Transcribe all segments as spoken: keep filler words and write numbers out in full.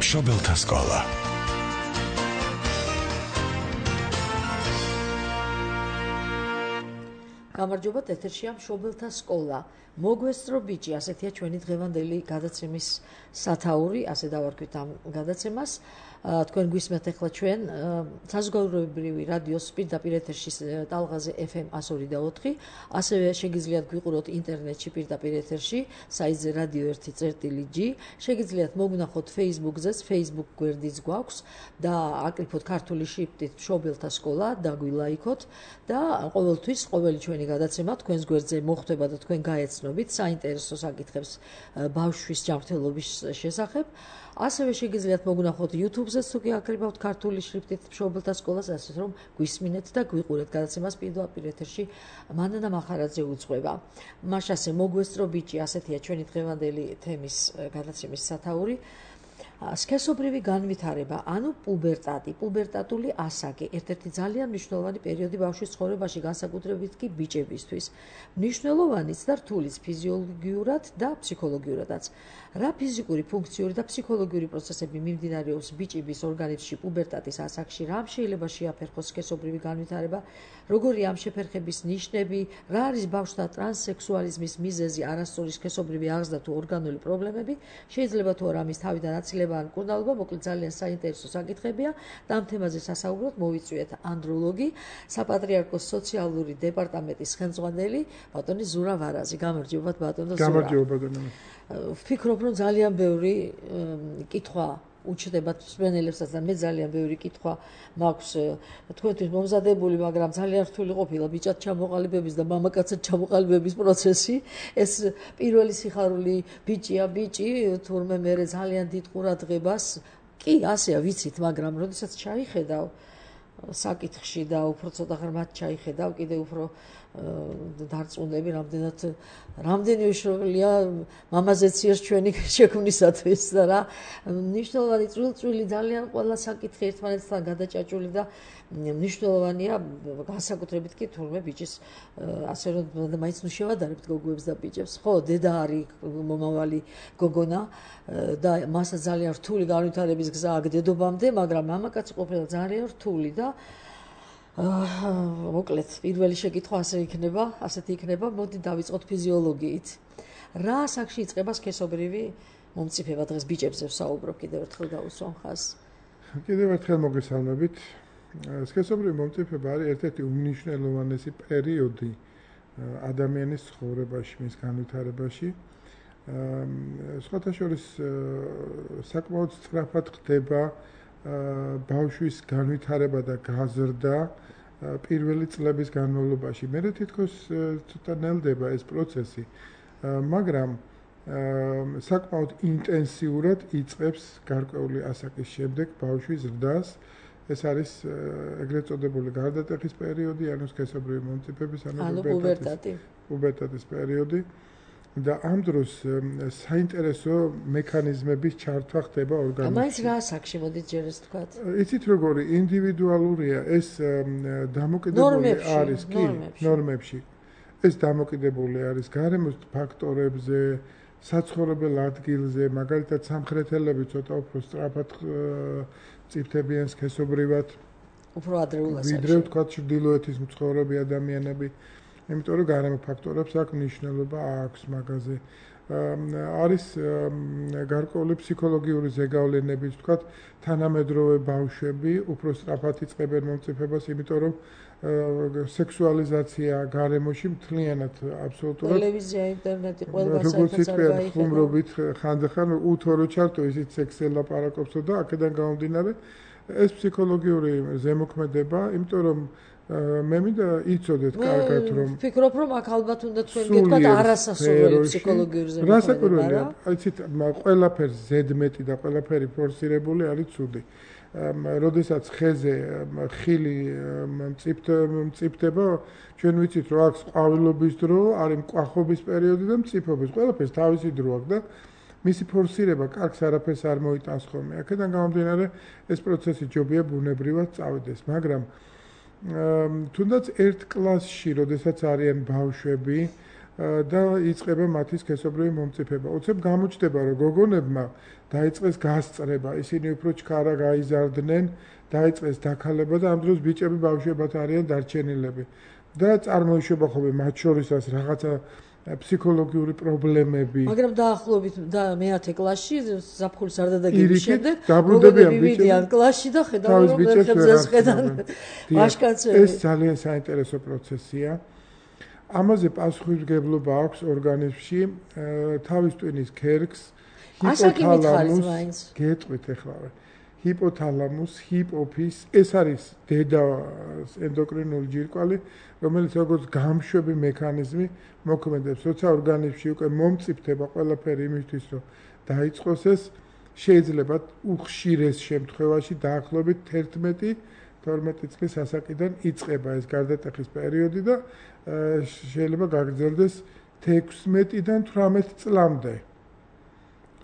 მშობელთა სკოლა. გამარჯობა, ეთერშია მშობელთა სკოლა. მოგესწრო ბიჭი, ასეთია ჩვენი დღევანდელი გადაცემის სათაური, ასე დავარქვით ამ გადაცემას. თქვენ გვისმენთ ახლა ჩვენ საზოგადოებრივი რადიოს პირდაპირ ეთერში ტალღაზე ეფ ემ εκατო ორი და ოთხი, ასევე შეგიძლიათ გვიყუროთ ინტერნეტში პირდაპირ ეთერში, საიტზე რადიო ერთი წერტილი ჯი, შეგიძლიათ მოგნახოთ Facebook-ზე, Facebook გვერდიც გვაქვს და აკრიფოთ ქართული შრიფტით მშობელთა სკოლა და გვილაიქოთ და ყოველთვის ყოველი ჩვენი გადაცემა თქვენს გვერდზე მოხვდება და თქვენ გაეცნობით საინტერესო საკითხებს ბავშვის ჯანმრთელობის შესახებ. ასევე შეგიძლიათ მოგნახოთ YouTube-ზე, თუ კი აკრიფავთ ქართული შრიფტით მშობელთა სკოლას, ასე რომ გვისმინეთ და გვიყურეთ გადაცემას პირდაპირ ეთერში. მანანა მახარაძე უძღვება. მაშასე მოგესწრო ბიჭი, ასეთია ჩვენი დღევანდელი თემის გადაცემის სათაური. სქესობრივი განვითარება, ანუ პუბერტატი, პუბერტატული ასაკი, ერთ-ერთი ძალიან მნიშვნელოვანი პერიოდი ბავშვის ცხოვრებაში, განსაკუთრებით კი ბიჭებისთვის. მნიშვნელოვანიც და რთულიც ფიზიოლოგიურად და ფსიქოლოგიურადაც. რა ფიზიკური, ფუნქციური და ფსიქოლოგიური პროცესები მიმდინარეობს ბიჭების ორგანიზმში პუბერტატის ასაკში, რამ შეიძლება შეაფერხოს სქესობრივი განვითარება, როგორია ამ შეფერხების ნიშნები, რა არის ბავშვთა ტრანსსექსუალიზმის მიზეზი, არასწორი სქესობრივი აღზრდა თუ ორგანული პრობლემები, შეიძლება თუ არა ამის თავიდან აცილება ან მკურნალობა, მოკლედ ძალიან საინტერესო საკითხებია და ამ თემაზე სასაუბროდ მოვიწვიეთ ანდროლოგი, საპატრიარქოს სოციალური დეპარტამენტის ხელმძღვანელი ბატონი ზურა ვარაზი. გამარჯობათ ბატონო ზურა. გამარჯობა ბატონო. ვფიქრობ, რომ ძალიან ბევრი კითხვა უჩნდება მსმენელებსაც და მე ძალიან ბევრი კითხვა მაქვს თქვენთვის მომზადებული, მაგრამ ძალიან რთული ყოფილა ბიჭად ჩამოყალიბების და მამაკაცად ჩამოყალიბების პროცესი. ეს პირველი სიხარული ბიჭია, ბიჭი, თურმე მე ძალიან დიდ ყურადღებას კი ასეა ვიცით, მაგრამ როდესაც ჩაიხედავ საკითხში და უფრო ცოტა ღრმად ჩაიხედავ, კიდე უფრო დარწმუნდები, რამდენად რამდენი უშროლია მამაზეც იერ ჩვენი შექმნისათვის და რა მნიშვნელოვანი წვრილ-წვრილი ძალიან ყველა საკითხი ერთმანეთთან გადაჭაჭული და მნიშვნელოვანია განსაკუთრებით კი თურმე ბიჭის ასე რომ მაინც ნუ შევადარებთ გოგოებს და ბიჭებს. ხო, დედა არის მომავალი გოგონა და მასა ძალიან რთული განვითარების გზა აქვს დედობამდე, მაგრამ მამაკაცი ყოფილა ძალიან რთული და მოკლედ პირველი შეკითხვა ასე იქნება, ასეთი იქნება, მოდი დავიწყოთ ფიზიოლოგიით. რა ასაკში იწყება სქესობრივი მომწიფება? დღეს ბიჭებზე ვსაუბრობ, კიდევ ერთხელ გავუსვამ ხაზს. კიდევ ერთხელ მოგესალმებით. სქესობრივი მომწიფება არის ერთ-ერთი უმნიშვნელოვანესი პერიოდი ადამიანის ცხოვრებაში, მის განვითარებაში. სხვათა შორის საკმაოდ სწრაფად ხდება ბავშვის განვითარება და გაზრდა პირველი წლების განმავლობაში. მე თითქოს ცოტა ნელდება ეს პროცესი, მაგრამ საკმაოდ ინტენსიურად იწყებს გარკვეული ასაკის შემდეგ ბავშვის ზრდას. ეს არის ეგრეთ წოდებული გარდატეხის პერიოდი, ანუ სქესობრივი მომწიფების, ანუ პუბერტატის პუბერტატის პერიოდი. და ამ დროს საინტერესო მექანიზმების ჩართვა ხდება ორგანიზმში. მაინც რა ასაკში მოდით ჯერ ეს თქვათ? იცით როგორი ინდივიდუალურია ეს დამოკიდებული არის კი ნორმებში. ეს დამოკიდებული არის გარემოს ფაქტორებზე, საცხოვრებელ ადგილზე, მაგალითად სამხრეთელები ცოტა უფრო სწრაფად მწიფდებიან სქესობრივად. უფრო ადრეულ ასაკში. ვიდრე ვთქვათ ჩრდილოეთის მცხოვრები ადამიანები. იმიტომ რომ გარემო ფაქტორებს აქვს მნიშვნელობა აქვს მაგაზე. არის გარკვეული ფსიქოლოგიური ზეგავლენები, ვთქვათ, თანამედროვე ბავშვები უფრო სწრაფად იწყებენ მომწიფებას, იმიტომ რომ სექსუალიზაცია გარემოში მთლიანად აბსოლუტურად ტელევიზია, ინტერნეტი, ყველგან როგორც იტყვიან ხუმრობით ხანდახან უთორო ჩართო ისიც სექსზე ლაპარაკობსო და აქედან გამომდინარე ეს ფსიქოლოგიური ზემოქმედება, იმიტომ რომ მე მინდა იცოდეთ კარგად რომ ვფიქრობ რომ აქ ალბათ უნდა თქვენ გეტყვათ არასასურველი ფსიქოლოგიური ზემოქმედება. რასაკვირველია, იცით, ყველაფერს ზედმეტი და ყველაფერი ფორსირებული არის ცუდი. როდესაც ხეზე ხილი მწიფდება, ჩვენ ვიცით რომ აქვს ყვავილობის დრო, არის მკვახობის პერიოდი და მწიფობის. ყველაფერს თავისი დრო აქვს და მისი ფორსირება კარგს არაფერს არ მოიტანს ხოლმე. აქედან გამომდინარე ეს პროცესი ჯობია ბუნებრივად წავიდეს, მაგრამ თუნდაც ერთ კლასში, როდესაც არიან ბავშვები, და იწყება მათი სქესობრივი მომწიფება. უცებ გამოჩნდება, რომ გოგონებმა დაიწყეს გასწრება, ისინი უფრო ჩქარა გაიზარდნენ, დაიწყეს დაქალება და ამ დროს ბიჭები ბავშვებად არიან დარჩენილები. და წარმოიშვება ხოლმე მათ შორისაც რაღაცა ფსიქოლოგიური პრობლემები. მაგრამ დაახლოებით და მეათე კლასში ზაფხულის არ დადაგების შემდეგ დაბრუნდებიან ბიჭები კლასში და ხედავენ რომ ხებზე შეხედან ვაშკაცები. ეს ძალიან საინტერესო პროცესია. ამაზე პასუხისმგებლობა აქვს ორგანიზმში თავის ტვინის ქერქს, ჰიპოთალამუს, გეტყვით ეხლა. ჰიპოთალამუს, ჰიპოფიზ, ეს არის დედა ენდოკრინული ჯირკვალი, რომელიც როგორც გამშვები მექანიზმი მოქმედებს, როცა ორგანიზმში უკვე მომწიფდება ყველაფერი იმისთვის, რომ დაიწყოს ეს, შეიძლება უხშირეს შემთხვევაში დაახლოებით თერთმეტი თორმეტი წლის ასაკიდან იწყება ეს გარდატეხის პერიოდი და შეიძლება გაგრძელდეს თექვსმეტიდან თვრამეტ წლამდე.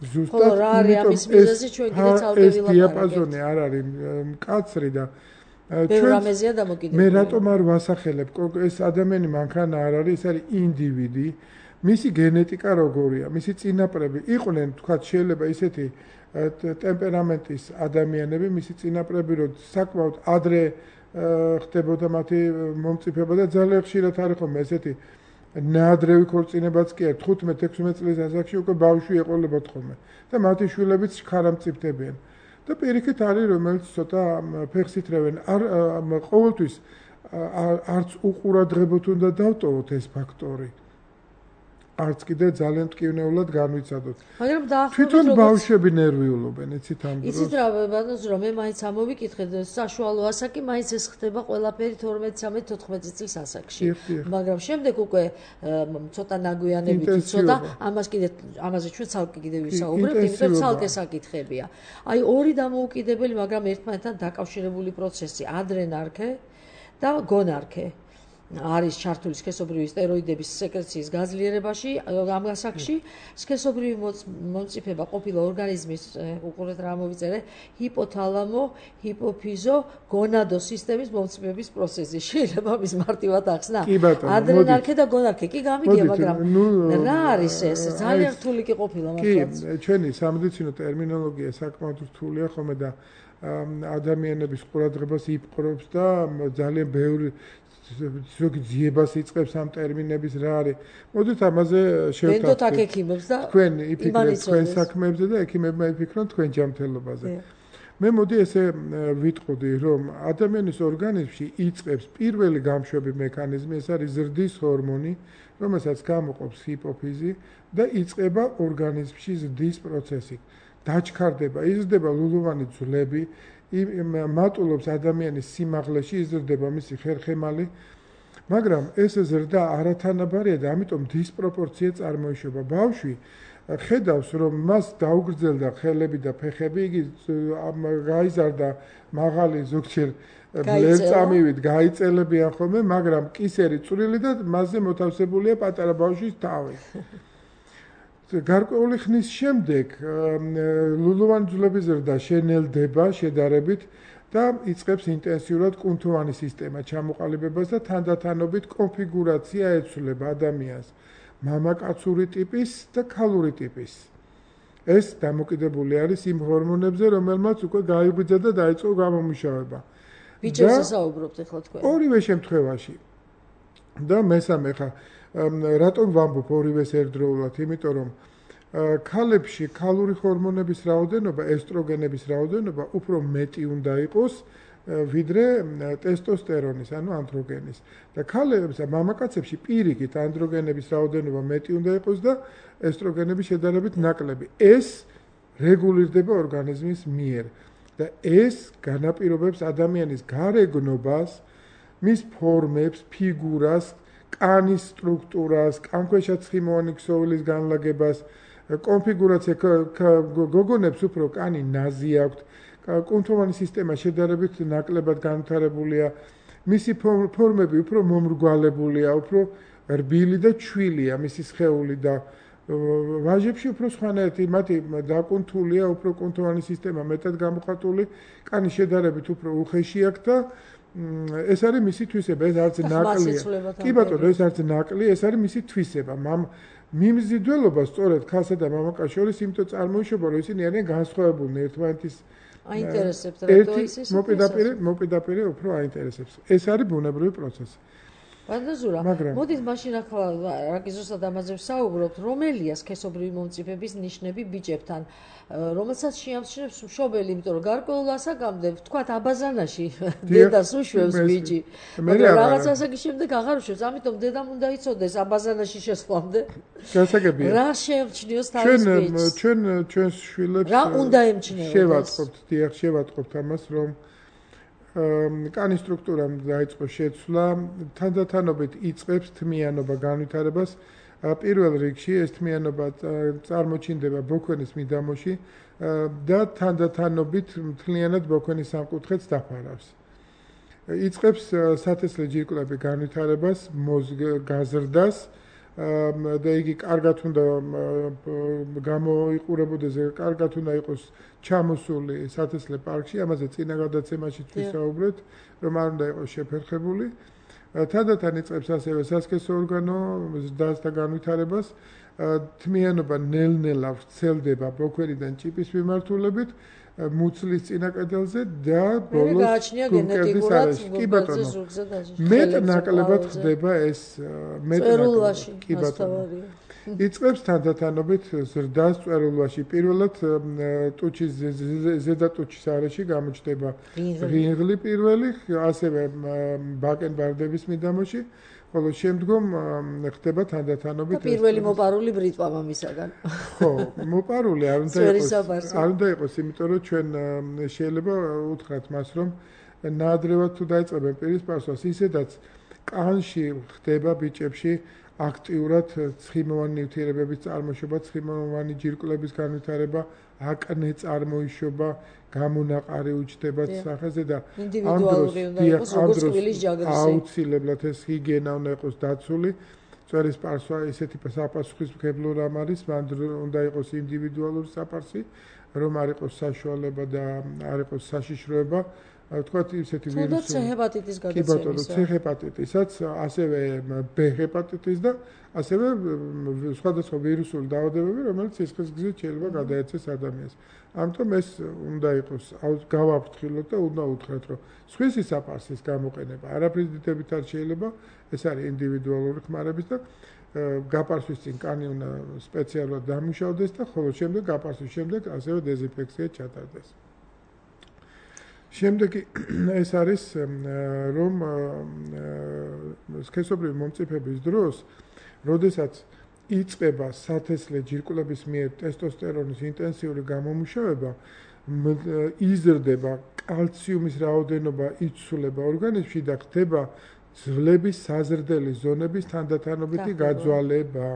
ზუსტად ამის მიზეზი ჩვენ კიდე ცალკე ვილაპარაკებთ. ეს დიაპაზონი არ არის მკაცრი და ბევრამეზია დამოკიდებული. მე რატომ არ ვასახელებ, ეს ადამიანი მანქანა არ არის, ეს არის ინდივიდი, მისი გენეტიკა როგორია, მისი წინაპრები იყვნენ, თქვათ შეიძლება ისეთი ტემპერამენტის ადამიანები, მისი წინაპრები რომ საკმაოდ ადრე ხდებოდა მათი მომწიფება და ძალიან ხშირად არის ხოლმე ესეთი ნაადრევი ქორწინებაც კი არ თხუთმეტ ექვსმეტ წლის ასაკში უკვე ბავშვი ეყოლებათ ხოლმე და მათი შვილებიც ხარა მწიფდებიან. და პირიქით არის რომელიც ცოტა ფეხს ითრევენ არ ყოველთვის არც უყურადღებოთ უნდა დავტოვოთ ეს ფაქტორი. არც კიდე ძალიან მტკივნეულად განვიცადოთ. მაგრამ დაახლოებით თვითონ ბავშვები ნერვიულობენ, იცით ამ დროს. იცით რა, ბატონო, რომ მე მაინც ამოვიკითხეთ, საშუალო ასაკი მაინც ეს ხდება ყველაფერი თორმეტ, ცამეტ, თოთხმეტ წლის ასაკში. მაგრამ შემდეგ უკვე ცოტა ნაგვიანებით იცოდა, ამას კიდე ამაზე ჩვენ ცალკე კიდე ვისაუბრებთ, იმიტომ რომ ცალკე საკითხებია. აი ორი დამოუკიდებელი, მაგრამ ერთმანეთთან დაკავშირებული პროცესი, ადრენარქე და გონარქე. არის ჩართული სქესობრივი სტეროიდების სეკრეციის გაძლიერებაში, ამ ასაკში სქესობრივი მომწიფება ყოფილა ორგანიზმის უყურეთ რა მოვიწერე, ჰიპოთალამო, ჰიპოფიზო, გონადო სისტემის მომწიფების პროცესი. შეიძლება მის მარტივად ახსნა. ადრენარქე და გონარქე კი გამიგია, მაგრამ რა არის ეს? ძალიან რთული კი ყოფილა მართლაც. კი, ჩვენი სამედიცინო ტერმინოლოგია საკმაოდ რთულია ხოლმე და ადამიანების ყურადღებას იპყრობს და ძალიან ბევრი ზოგი ძიებას იწყებს ამ ტერმინების რა არის. მოდით ამაზე შევთანხმდეთ. ვენდოთ აქ ექიმებს და თქვენ იფიქრეთ თქვენ საქმეებზე და ექიმებმა იფიქრონ თქვენ ჯანმრთელობაზე. მე მოდი ესე ვიტყოდი, რომ ადამიანის ორგანიზმში იწყებს პირველი გამშვები მექანიზმი, ეს არის ზრდის ჰორმონი, რომელსაც გამოყოფს ჰიპოფიზი და იწყება ორგანიზმში ზრდის პროცესი. დაჩქარდება, იზრდება ლულოვანი ძვლები, მატულობს ადამიანის სიმაღლეში, იზრდება მისი ხერხემალი, მაგრამ ეს ზრდა არათანაბარია და ამიტომ დისპროპორცია წარმოიშვება. ბავშვი ხედავს, რომ მას დაუგრძელდა ხელები და ფეხები, იგი გაიზარდა მაღალი ზოგჯერ ბლერწამივით გაიწელებიან ხოლმე, მაგრამ კისერი წვრილი და მასზე მოთავსებულია პატარა ბავშვის თავი. გარკვეული ხნის შემდეგ ლულოვანი ძვლების ზრდა შენელდება შედარებით და იწყებს ინტენსიურად კუნთოვანი სისტემა ჩამოყალიბებას და თანდათანობით კონფიგურაცია ეცვლება ადამიანს მამაკაცური ტიპის და ქალური ტიპის. ეს დამოკიდებული არის იმ ჰორმონებზე, რომელმაც უკვე გაიღვიძა და დაიწყო გამომუშავება. ბიჭებზე საუბრობთ ახლა თქვენ. ორივე შემთხვევაში. და მესამე ხა რატომ ვამბობ ორივეს ერთდროულად? იმიტომ რომ ქალებში ქალური ჰორმონების რაოდენობა, ესტროგენების რაოდენობა უფრო მეტი უნდა იყოს ვიდრე ტესტოსტერონის, ანუ ანდროგენის. და ქალებს და მამაკაცებში პირიქით ანდროგენების რაოდენობა მეტი უნდა იყოს და ესტროგენები შედარებით ნაკლები. ეს რეგულირდება ორგანიზმის მიერ და ეს განაპირობებს ადამიანის გარეგნობას, მის ფორმებს, ფიგურას, კანის სტრუქტურას, კანქვეშა ცხიმოვანი ქსოვილის განლაგებას, კონფიგურაცია გოგონებს უფრო კანი ნაზი აქვთ, კუნთოვანი სისტემა შედარებით ნაკლებად განვითარებულია, მისი ფორმები უფრო მომრგვალებულია, უფრო რბილი და ჩვილია მისი სხეული და ვაჟებში უფრო სხვანაირად, მათი დაკუნთულია, უფრო კუნთოვანი სისტემა მეტად გამოხატული, კანი შედარებით უფრო უხეში აქვს და ეს არის მისი თვისება, ეს არც ნაკლია. კი ბატონო, ეს არც ნაკლია, ეს არის მისი თვისება. მიმზიდველობა სწორედ ქალსა და მამაკაცს შორის იმიტომ წარმოიშობა, რომ ისინი არიან განსხვავებულნი ერთმანეთის აინტერესებს რატო ისე მოპირდაპირე მოპირდაპირე უფრო აინტერესებს. ეს არის ბუნებრივი პროცესი. ბანდაზურა, მოდით მაშინ ახლა რაკიზოსად ამაზე ვსაუბრობთ, რომელია სქესობრივი მომწიფების ნიშნები ბიჭებთან, რომელსაც შეამჩნევს მშობელი, იმიტომ რომ გარკვეულ ასაკამდე, ვთქვათ, აბაზანაში დედას უშვებს ბიჭი. მაგრამ რაღაც ასაკის შემდეგ აღარ უშვებს, ამიტომ დედამ უნდა იცოდეს აბაზანაში შესვლამდე. გასაგებია. რა შეამჩნიოს თავის ბიჭს? ჩვენ ჩვენ ჩვენს შვილებს რა უნდა ემჩნეოდეს? შევატყობთ, დიახ, შევატყობთ ამას, რომ კანის სტრუქტურამ დაიწყო შეცვლა, თანდათანობით იწყებს თმიანობა განვითარებას. პირველ რიგში ეს თმიანობა წარმოჩინდება ბოქვენის მიდამოში და თანდათანობით მთლიანად ბოქვენის სამკუთხედს დაფარავს. იწყებს სათესლე ჯირკვლები განვითარებას, გაზრდას და იგი კარგად უნდა გამოიყურებოდეს, კარგად უნდა იყოს ჩამოსული სათესლე პარკში, ამაზე წინა გადაცემაშიც ვისაუბრეთ, რომ არ უნდა იყოს შეფერხებული. თანდათან იწყებს ასევე სასქესო ორგანო ზრდას და განვითარებას, თმიანობა ნელ-ნელა ვრცელდება ბოქვერიდან ჭიპის მიმართულებით, მუცლის წინა კედელზე და ბოლოს გულმკერდის არეში. კი ბატონო, მეტ ნაკლებად ხდება ეს მეტ ნაკლებად. კი ბატონო. იწყებს თანდათანობით ზრდას წვერულვაში. პირველად ტუჩის ზედა ტუჩის არეში გამოჩნდება ღინღლი პირველი, ასევე ბაკენბარდების მიდამოში, ხოლო შემდგომ ხდება თანდათანობით პირველი მოპარული ბრიტვა მამისაგან. ხო, მოპარული არ უნდა იყოს. არ უნდა იყოს, იმიტომ რომ ჩვენ შეიძლება უთხრათ მას, რომ ნაადრევად თუ დაიწყებენ პირის პასუხს, ისედაც კანში ხდება ბიჭებში აქტიურად ცხიმოვანი ნივთიერებების წარმოშობა, ცხიმოვანი ჯირკვლების განვითარება, აკნე წარმოიშობა, გამონაყარი უჩნდება სახეზე და ამ დროს აუცილებლად ეს ჰიგიენა უნდა იყოს დაცული. წვერის პარსვა ისეთი საპასუხისმგებლო რამ არის, მან უნდა იყოს ინდივიდუალური საპარსი, რომ არ იყოს საშუალება და არ იყოს საშიშროება. ვთქვათ ისეთი ვირუსი. ცე ჰეპატიტის გადაცემისა. კი ბატონო, ცე ჰეპატიტისაც, ასევე ბ ჰეპატიტის და ასევე სხვადასხვა ვირუსული დაავადებები, რომელიც სისხლისგზით შეიძლება გადაეცეს ადამიანს. ამიტომ ეს უნდა იყოს, გავაფრთხილოთ და უნდა უთხრათ, რომ სხვისი საპარსის გამოყენება არაფრის დიდებით არ შეიძლება, ეს არის ინდივიდუალური ხმარების და გაპარსვის წინ კანი უნდა სპეციალურად დამუშავდეს და ხოლო შემდეგ გაპარსვის შემდეგ ასევე დეზინფექცია ჩატარდეს. შემდეგი ეს არის რომ სქესობრივი მომწიფების დროს, როდესაც იწყება სათესლე ჯირკვლების მიერ ტესტოსტერონის ინტენსიური გამომუშავება, იზრდება კალციუმის რაოდენობა, იცვლება ორგანიზმში და ხდება ძვლების საზრდელი ზონების თანდათანობითი გაძვალება.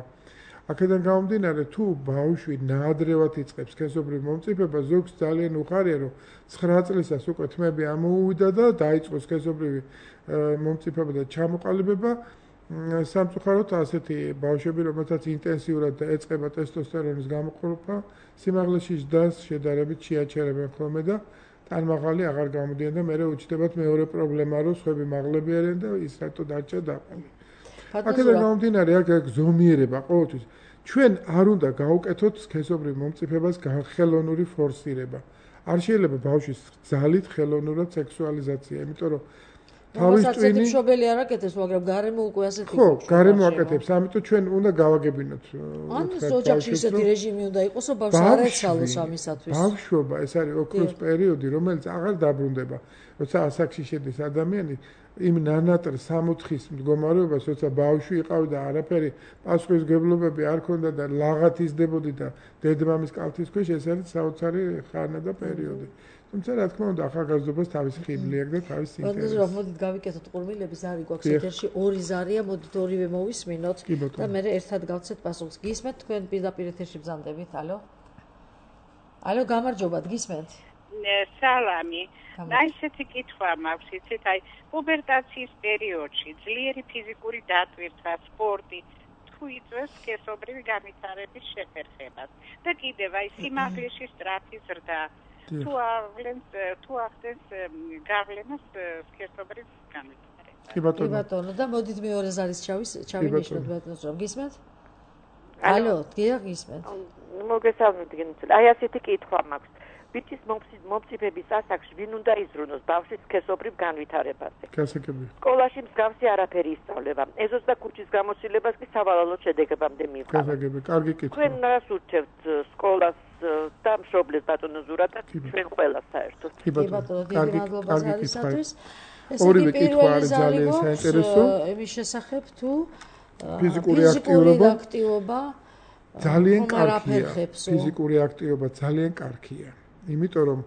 აქედან გამომდინარე, თუ ბავშვი ნაადრევად იწყებს სქესობრივ მომწიფებას, ზოგს ძალიან უხარია, რომ ცხრა წლისას უკვე თმები ამოუვიდა და დაიწყო სქესობრივი მომწიფება და ჩამოყალიბება. სამწუხაროდ ასეთი ბავშვები, რომელთაც ინტენსიურად ეწყება ტესტოსტერონის გამოყოფა, სიმაღლეში ზრდას შედარებით შეაჩერებენ ხოლმე და ტანმაღალი აღარ გამოდიან და მერე უჩნდებათ მეორე პრობლემა, რომ სხვები მაღლები არიან და ის რატო დარჩა დაყოლი. აქედან გამომდინარე, აქ ზომიერება ყოველთვის. ჩვენ არ უნდა გავუკეთოთ სქესობრივ მომწიფებას ხელოვნური ფორსირება. არ შეიძლება ბავშვის ძალით ხელოვნურად სექსუალიზაცია, იმიტომ რომ თავის ტვინი მშობელი არ აკეთებს, მაგრამ გარემო უკვე ასეთი ხო, გარემო აკეთებს, ამიტომ ჩვენ უნდა გავაგებინოთ. ან ოჯახში ისეთი რეჟიმი უნდა იყოს, რომ ბავშვს არ ეცალოს ამისათვის. ბავშვობა, ეს არის ოქროს პერიოდი, რომელიც აღარ დაბრუნდება. როცა ასაკში შედის ადამიანი, იმ ნანატრ სამოთხის მდგომარეობას, როცა ბავშვი იყავი და არაფერი პასუხისმგებლობები არ ქონდა და ლაღად იზრდებოდი და დედმამის კალთის ქვეშ, ეს არის საოცარი ხანა და პერიოდი. თუმცა რა თქმა უნდა, ახალგაზრდობას თავისი ხიბლი აქვს და თავისი ინტერესი. ბანდაზურა, მოდით გავიკეთოთ ყურმილები, ზარი გვაქვს ეთერში, ორი ზარია, მოდით ორივე მოვისმინოთ და მე ერთად გავცეთ პასუხს. გისმენთ თქვენ პირდაპირ ეთერში ბრძანდებით? ალო? ალო, გამარჯობა, გისმენთ? სალამი. და ისეთი კითხვა მაქვს, იცით, აი, პუბერტაციის პერიოდში ძლიერი ფიზიკური დატვირთვა, სპორტი თუ იწვევს სქესობრივი განვითარების შეფერხებას და კიდევ აი სიმაღლეში სწრაფი ზრდა, თუ აღლენს თუ ახდენს გავლენას სქესობრივ განვითარებას. კი ბატონო. კი ბატონო და მოდით მეორე ზარის ჩავის ჩავინიშნოთ ბატონოს რომ გისმენთ? ალო, გია გისმენთ. მოგესალმებით გენუცელი. აი ასეთი კითხვა მაქვს. ბიჭის მომწიფების ასაკში ვინ უნდა იზრუნოს ბავშვის სქესობრივ განვითარებაზე? გასაგები. სკოლაში მსგავსი არაფერი ისწავლება. ეზოს და ქუჩის გამოცდილებას კი სავალალოდ შედეგებამდე მიიღება. გასაგები, კარგი კითხვა. თქვენ რას ურჩევთ სკოლას და მშობლებს ბატონო ზურათა ჩვენ ყველას საერთოდ? კი ბატონო, დიდი მადლობა ზარისათვის. ორივე კითხვა არის ძალიან საინტერესო. იმის შესახებ თუ ფიზიკური აქტივობა აქტივობა ძალიან კარგია. ფიზიკური აქტივობა ძალიან კარგია. იმიტომ რომ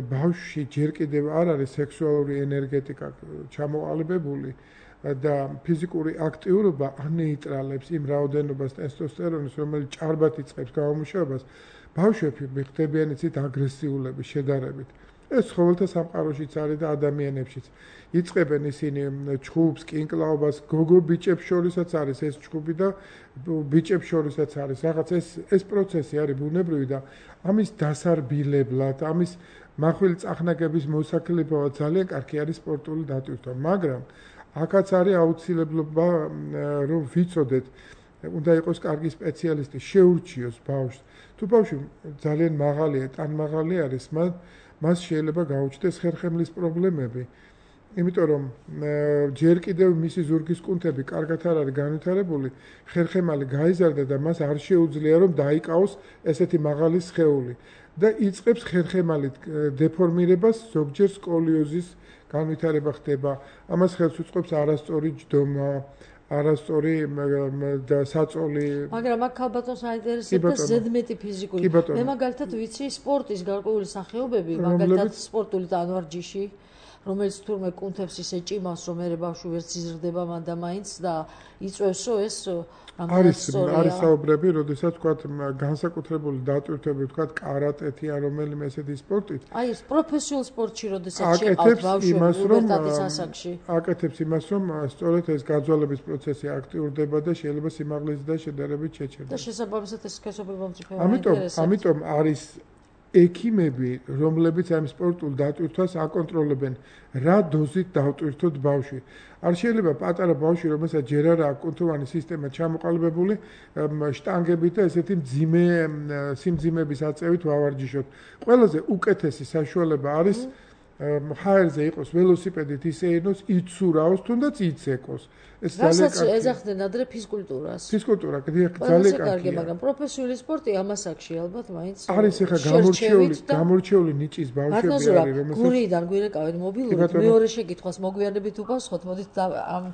ბავშვში ჯერ კიდევ არ არის სექსუალური ენერგეტიკა ჩამოყალიბებული და ფიზიკური აქტივობა ანეიტრალებს იმ რაოდენობას ტესტოსტერონის, რომელიც ჭარბად იწყებს გამომუშავებას, ბავშვები ხდებიან იცით აგრესიულები შედარებით. ეს ცხოველთა სამყაროშიც არის და ადამიანებშიც. იწყებენ ისინი ჩხუბს, კინკლაობას, გოგო ბიჭებს შორისაც არის ეს ჩხუბი და ბიჭებს შორისაც არის. რაღაც ეს ეს პროცესი არის ბუნებრივი და ამის დასარბილებლად, ამის მახვილი წახნაგების მოსაკლებლად ძალიან კარგი არის სპორტული დატვირთვა, მაგრამ აქაც არის აუცილებლობა რომ ვიცოდეთ, უნდა იყოს კარგი სპეციალისტი, შეურჩიოს ბავშვს. თუ ბავშვი ძალიან მაღალია, ტანმაღალი არის, მას მას შეიძლება გაუჩნდეს ხერხემლის პრობლემები. იმიტომ რომ ჯერ კიდევ მისი ზურგის კუნთები კარგად არ არის განვითარებული, ხერხემალი გაიზარდა და მას არ შეუძლია რომ დაიკავოს ესეთი მაღალი სხეული და იწყებს ხერხემალით დეფორმირებას, ზოგჯერ სკოლიოზის განვითარება ხდება. ამას ხელს უწყობს არასწორი ჯდომა, არასწორი და საწოლი. მაგრამ აქ ქალბატონს აინტერესებს ზედმეტი ფიზიკური. მე მაგალითად ვიცი სპორტის გარკვეული სახეობები, მაგალითად სპორტული ტანვარჯიში, რომელიც თურმე კუნთებს ისე ჭიმავს, რომ მე ბავშვი ვერც იზრდება მან და მაინც და იწვევსო ეს არის არის საუბრები, როდესაც თქვა განსაკუთრებული დატვირთვები, თქვა კარატეთი ან რომელიმე ესეთი სპორტით. აი ეს პროფესიულ სპორტში როდესაც შეყავთ ბავშვებს პუბერტატის ასაკში. აკეთებს იმას, რომ სწორედ ეს გაძვალების პროცესი აქტიურდება და შეიძლება სიმაღლის და შედარებით შეჩერდეს. და შესაბამისად ეს სქესობრივ მომწიფება ამიტომ ამიტომ არის ექიმები, რომლებიც ამ სპორტულ დატვირთვას აკონტროლებენ, რა დოზით დავტვირთოთ ბავშვი. არ შეიძლება პატარა ბავშვი, რომელსაც ჯერ არ აქვს კუნთოვანი სისტემა ჩამოყალიბებული, შტანგებით და ესეთი მძიმე სიმძიმების აწევით ვავარჯიშოთ. ყველაზე უკეთესი საშუალება არის ჰაერზე იყოს ველოსიპედით ისე ენოს, იცურაოს, თუნდაც იცეკოს. ეს ძალიან კარგია. ეძახდნენ ადრე ფიზკულტურას. ფიზკულტურა ძალიან კარგია, მაგრამ პროფესიული სპორტი ამასაკში ალბათ მაინც არის ახლა გამორჩეული, გამორჩეული ნიჭის ბავშვები არის, რომელსაც გურიდან გვირეკავენ მობილურით, მეორე შეკითხვას მოგვიანებით უპასუხოთ, მოდით ამ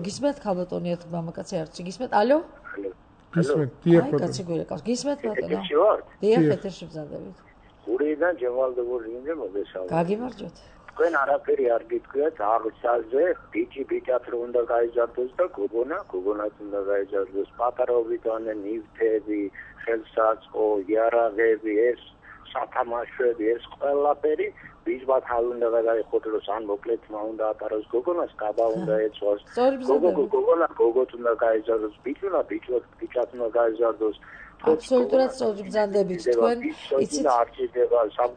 გისმენთ ქალბატონი ერთ მამაკაცი არც გისმენთ, ალო? გისმენთ, დიახ ბატონო. აი, კაცი გვირეკავს. გისმენთ ბატონო? დიახ, ეთერში ბრძანდებით. გურიდან ჯევალდებული იმდე მოგესალმებით. გაგიმარჯოთ. თქვენ არაფერი არ გიტყვიათ აღსაზე, ბიჭი ბიჭად რო უნდა გაიზარდოს და გოგონა, გოგონაც უნდა გაიზარდოს. პატარაობიდანვე ნივთები, ხელსაწყო, იარაღები, ეს სათამაშოები, ეს ყველაფერი ბიჭბათ არ უნდა გადაიხოდოს, ან მოკლედ მა უნდა ატაროს გოგონას, კაბა უნდა ეწვას. გოგო გოგონა გოგოთ უნდა გაიზარდოს, ბიჭუნა ბიჭოთ ბიჭად უნდა გაიზარდოს. აბსოლუტურად სწორი ბრძანდებით თქვენ იცით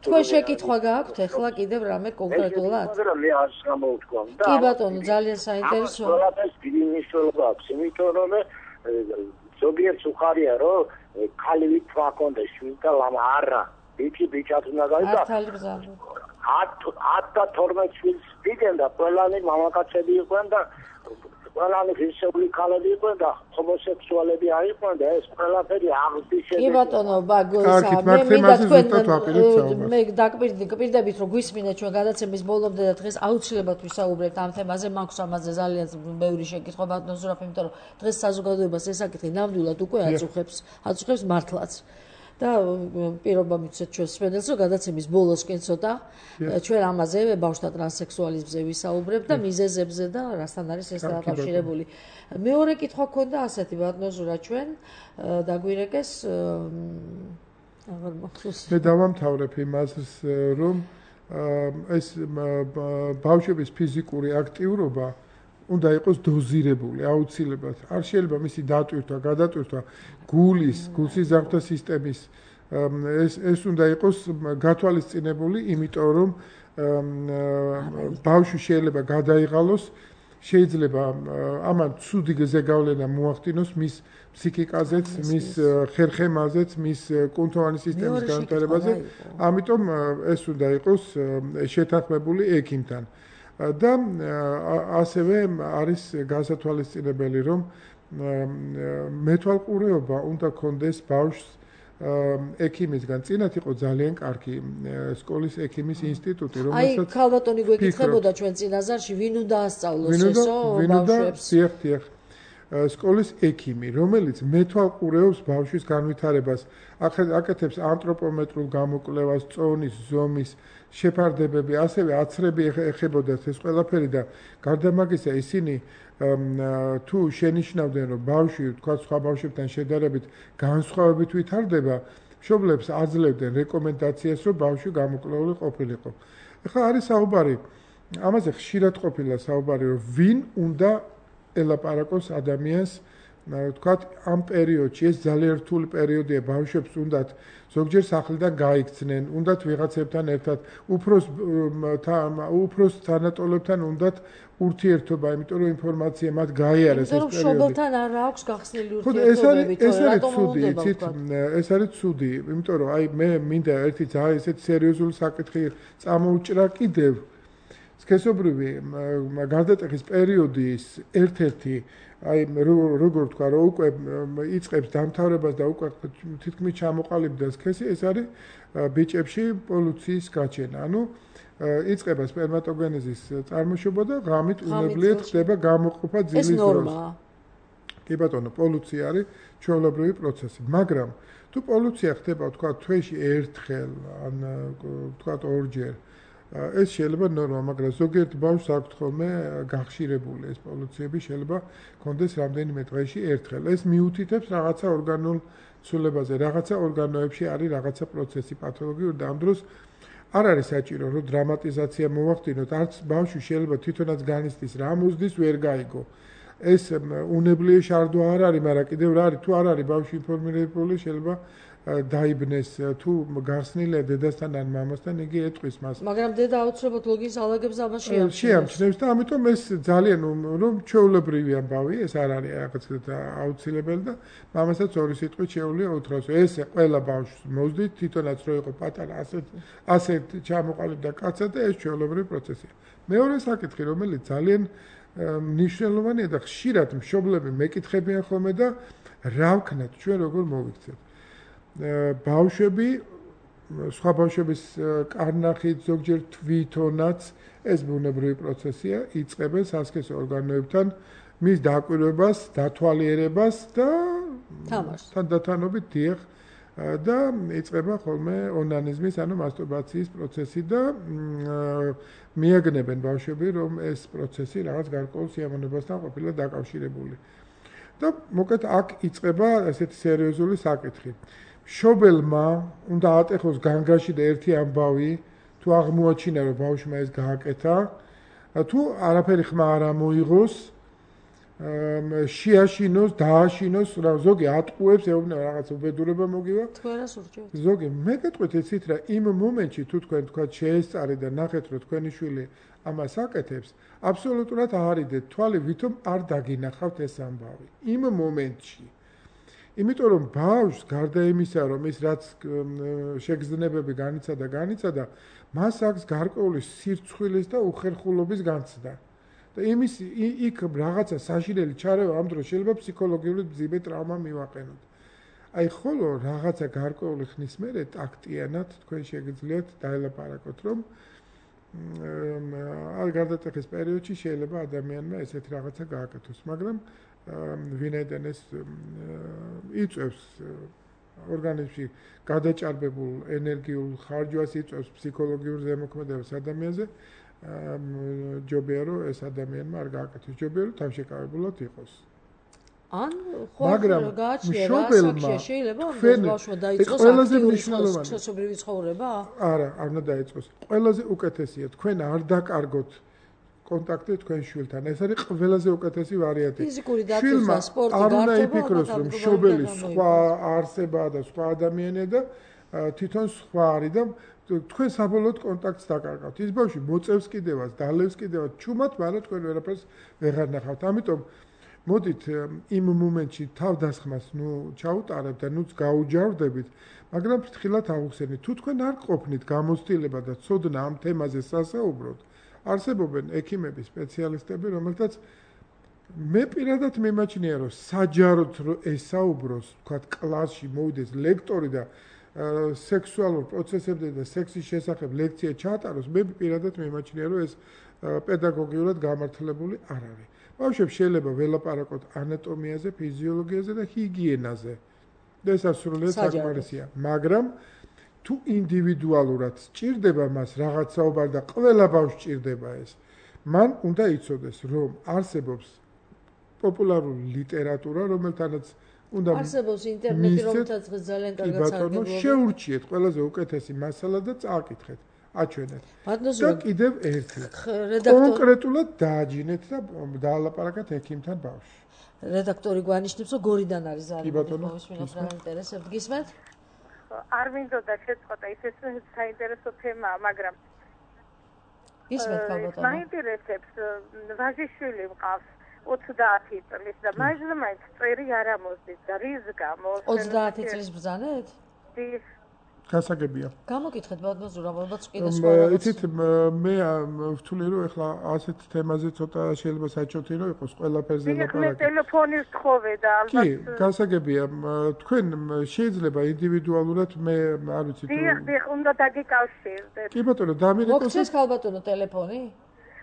თქვენ შეკითხვა გააქვთ ახლა კიდევ რამე კონკრეტულად? მე არ გამოვთქვა და კი ბატონო ძალიან საინტერესო. ყველაფერს დიდი მნიშვნელობა აქვს, იმიტომ რომ ზოგიერთ უხარია რომ ქალი თქვა კონდეს შვილს და ლამა არა ბიჭი ბიჭად უნდა გაიზარდოს. ათ და თორმეტ შვილს დიდენ და ყველანი მამაკაცები იყვნენ და ყველანი ფიზიკური ქალები იყვნენ და ჰომოსექსუალები არიყვნენ და ეს ყველაფერი აღზრდის. კი ბატონო, ბაგოსა, მე მინდა თქვენ მე დაგპირდებით რომ გვისმინეთ ჩვენ გადაცემის ბოლომდე და დღეს აუცილებლად ვისაუბრებთ ამ თემაზე, მაქვს ამაზე ძალიან ბევრი შეკითხვა ბატონო ზურაბ, იმიტომ რომ დღეს საზოგადოებას ეს საკითხი ნამდვილად უკვე აწუხებს, აწუხებს მართლაც. და პირობა მიცეთ ჩვენს სპენელს, რომ გადაცემის ბოლოსკენ ცოტა ჩვენ ამაზე ბავშვთა ტრანსექსუალიზმზე ვისაუბრებთ და მიზეზებზე და რასთან არის ეს დაკავშირებული. მეორე კითხვა გქონდა ასეთი ბატონო ზურა ჩვენ დაგვირეკეს აღარ მახსოვს. მე დავამთავრებ იმას, რომ ეს ბავშვების ფიზიკური აქტიურობა უნდა იყოს დოზირებული, აუცილებლად. არ შეიძლება მისი დატვირთვა, გადატვირთვა გულის, გულსიზარდთა სისტემის ეს ეს უნდა იყოს გათვალისწინებული, იმიტომ რომ ბავშვი შეიძლება გადაიღალოს, შეიძლება ამან ცუდი ზეგავლენა მოახდინოს მის ფსიქიკაზეც, მის ხერხემაზეც, მის კუნთოვანი სისტემის განვითარებაზე. ამიტომ ეს უნდა იყოს შეთანხმებული ექიმთან. და ასევე არის გასათვალისწინებელი, რომ მეთვალყურეობა უნდა კონდეს ბავშვს ექიმისგან. წინათ იყო ძალიან კარგი სკოლის ექიმის ინსტიტუტი, აი, რომელსაც ქალბატონი გვეკითხებოდა ჩვენ წინაზარში, ვინ უნდა ასწავლოს ესო ბავშვებს? დიახ, დიახ. სკოლის ექიმი, რომელიც მეთვალყურეობს ბავშვის განვითარებას, აკეთებს ანთროპომეტრულ გამოკვლევას, წონის, ზომის, შეფარდებები, ასევე აცრები ეხებოდათ ეს ყველაფერი და გარდა მაგისა ისინი თუ შენიშნავდნენ, რომ ბავშვი, თქვა სხვა ბავშვებთან შედარებით, განსხვავებით ვითარდება, მშობლებს აძლევდნენ რეკომენდაციას, რომ ბავშვი გამოკვლეული ყოფილიყო. ეხლა არის საუბარი, ამაზე ხშირად ყოფილა საუბარი, რომ ვინ უნდა ელაპარაკოს ადამიანს, თქვათ, ამ პერიოდში, ეს ძალიან რთული პერიოდია, ბავშვებს უნდათ ზოგჯერ სახლიდან გაიქცნენ, უნდათ ვიღაცებთან ერთად, უფროს უფროს თანატოლებთან უნდათ ურთიერთობა, იმიტომ რომ ინფორმაცია მათ გაიარეს ეს პერიოდი. მშობელთან არ აქვს გახსნილი ურთიერთობები, ეს არის ცუდი, იცით, ეს არის ცუდი, იმიტომ რომ აი მე მინდა ერთი ძალიან ესეთი სერიოზული საკითხი წამოუჭრა კიდევ. სქესობრივი გარდატეხის პერიოდის ერთ-ერთი აი როგორ ვთქვა, რომ უკვე იწყებს დამთავრებას და უკვე თითქმის ჩამოყალიბდა სქესი, ეს არის ბიჭებში პოლუციის გაჩენა. ანუ იწყება სპერმატოგენეზის წარმოშობა და ღამით უნებლიეთ ხდება გამოყოფა ძილის დროს. ეს ნორმაა. კი ბატონო, პოლუცია არის ჩვეულებრივი პროცესი, მაგრამ თუ პოლუცია ხდება, თქვა, თვეში ერთხელ, ან თქვა ორჯერ, ეს შეიძლება ნორმა, მაგრამ ზოგიერთ ბავშვს აქვთ ხოლმე გახშირებული ეს პოლუციები, შეიძლება კონდეს რამდენიმე დღეში ერთხელ. ეს მიუთითებს რაღაცა ორგანულ ცვლილებაზე, რაღაცა ორგანოებში არის რაღაცა პროცესი პათოლოგიური და ამ დროს არ არის საჭირო, რომ დრამატიზაცია მოვახდინოთ, არც ბავშვი შეიძლება თვითონაც განიცდის, რა მოზდის ვერ გაიგო. ეს უნებლიე შარდვა არ არის, მაგრამ კიდევ რა არის, თუ არ არის ბავშვი ინფორმირებული, შეიძლება დაიბნეს, თუ გახსნილია დედასთან ან მამასთან, იგი ეტყვის მას. მაგრამ დედა აუცილებლად ლოგის ალაგებს ამას შეამჩნევს. შეამჩნევს და ამიტომ ეს ძალიან რომ ჩვეულებრივი ამბავი, ეს არ არის რაღაც აუცილებელი და მამასაც ორი სიტყვით შეუძლია უთხრას. ეს ყველა ბავშვს მოძდით, თვითონაც რო იყო პატარა, ასეთ ასეთ ჩამოყალიბდა კაცად და ეს ჩვეულებრივი პროცესია. მეორე საკითხი, რომელიც ძალიან მნიშვნელოვანია და ხშირად მშობლები მეკითხებიან ხოლმე და რა ვქნათ, ჩვენ როგორ მოვიქცევთ. ბავშვები, სხვა ბავშვების კარნახით, ზოგჯერ თვითონაც, ეს ბუნებრივი პროცესია, იწყებენ სასქესო ორგანოებთან მის დაკვირვებას, დათვალიერებას და თანდათანობით დიახ და იწყება ხოლმე ონანიზმის, ანუ მასტურბაციის პროცესი და მიაგნებენ ბავშვები, რომ ეს პროცესი რაღაც გარკვეულ სიამოვნებასთან ყოფილა დაკავშირებული. და მოკლედ აქ იწყება ესეთი სერიოზული საკითხი. მშობელმა უნდა ატეხოს განგაში და ერთი ამბავი, თუ აღმოაჩინა, რომ ბავშვმა ეს გააკეთა, თუ არაფერი ხმა არ ამოიღოს, შეაშინოს, დააშინოს, ზოგი ატყუებს, ეუბნება რაღაც უბედურება მოგივა. თქვენას ურჩევთ. ზოგი მე გეტყვით იცით რა, იმ მომენტში თუ თქვენ თქვა შეესწარეთ და ნახეთ, რომ თქვენი შვილი ამას აკეთებს, აბსოლუტურად აარიდეთ თვალი, ვითომ არ დაგინახავთ ეს ამბავი. იმ მომენტში იმიტომ რომ ბავშვს გარდა იმისა, რომ ის რაც შეგრძნებები განიცადა, განიცადა, მას აქვს გარკვეული სირცხვილის და უხერხულობის განცდა. და იმის იქ რაღაცა საშინელი ჩარევა ამ დროს შეიძლება ფსიქოლოგიური მძიმე ტრავმა მივაყენოთ. აი ხოლო რაღაცა გარკვეული ხნის მერე ტაქტიანად თქვენ შეგიძლიათ დაელაპარაკოთ, რომ არ გარდატეხის პერიოდში შეიძლება ადამიანმა ესეთი რაღაცა გააკეთოს, მაგრამ ვინაიდან ეს იწევს ორგანიზმში გადაჭარბებულ ენერგიულ ხარჯვას, იწევს ფსიქოლოგიურ ზემოქმედებას ადამიანზე, ჯობია რომ ეს ადამიანმა არ გააკეთოს, ჯობია რომ თავშეკავებულად იყოს. ან ხო გააჩნია ასაკში შეიძლება ამ ბავშვმა დაიწყოს აქტიური სქესობრივი ცხოვრება? არა, არ უნდა დაიწყოს. ყველაზე უკეთესია თქვენ არ დაკარგოთ კონტაქტი თქვენ შვილთან. ეს არის ყველაზე უკეთესი ვარიანტი. ფიზიკური დატვირთვა, სპორტი, გართობა, არ უნდა იფიქროს, რომ მშობელი სხვა არსებაა და სხვა ადამიანია და თვითონ სხვა არის და თქვენ საბოლოოდ კონტაქტს დაკარგავთ. ის ბავშვი მოწევს კიდევაც, დალევს კიდევაც ჩუმად, მაგრამ თქვენ ვერაფერს ვეღარ ნახავთ. ამიტომ მოდით იმ მომენტში თავდასხმას ნუ ჩაუტარებთ და ნუც გაუჯავრდებით, მაგრამ ფრთხილად აუხსენით. თუ თქვენ არ ყოფნით გამოცდილება და ცოდნა ამ თემაზე სასაუბროთ, არსებობენ ექიმები, სპეციალისტები, რომელთაც მე პირადად მიმაჩნია, რომ საჯაროდ ესაუბროს, თქვათ, კლასში მოვიდეს ლექტორი და სექსუალურ პროცესებზე და სექსის შესახებ ლექცია ჩაატაროს, მე პირადად მიმაჩნია, რომ ეს პედაგოგიურად გამართლებული არ არის. ბავშვებს შეიძლება ველაპარაკოთ ანატომიაზე, ფიზიოლოგიაზე და ჰიგიენაზე. და ეს სრულიად საკმარისია, მაგრამ თუ ინდივიდუალურად სჭირდება მას რაღაც საუბარი და ყველა ბავშვს სჭირდება ეს, მან უნდა იცოდეს, რომ არსებობს პოპულარული ლიტერატურა, რომელთანაც უნდა არსებობს ინტერნეტი, რომელთაც ძალიან კარგად სარგებლობენ. შეურჩიეთ ყველაზე უკეთესი მასალა და წააკითხეთ, აჩვენეთ. და კიდევ ერთი. კონკრეტულად დააჯინეთ და დაალაპარაკეთ ექიმთან ბავშვს. რედაქტორი გვანიშნებს, რომ გორიდან არის ძალიან მოვისმინოთ რა ინტერესებთ, გისმენთ? არ მინდოდა შეწყვეტა, ის ეს საინტერესო თემაა, მაგრამ გისმენთ ალბათ. მაინტერესებს ვაჟიშვილი მყავს ოცდაათი წლის და მაინც წერი არ ამოსდის და რის გამო? ოცდაათი წლის ბრძანეთ? დის გასაგებია. გამოკითხეთ ბატონო ზურაბ, ალბათ კიდე სხვა. იცით, მე ვთვლი რომ ეხლა ასეთ თემაზე ცოტა შეიძლება საჭოთი რომ იყოს ყველაფერზე ლაპარაკი. მე ტელეფონი ვთხოვე და ალბათ კი, გასაგებია. თქვენ შეიძლება ინდივიდუალურად მე არ ვიცი თუ დიახ, დიახ, უნდა დაგიკავშირდეთ. კი ბატონო, დამირეკოს. მოგცეს ხალბატონო ტელეფონი?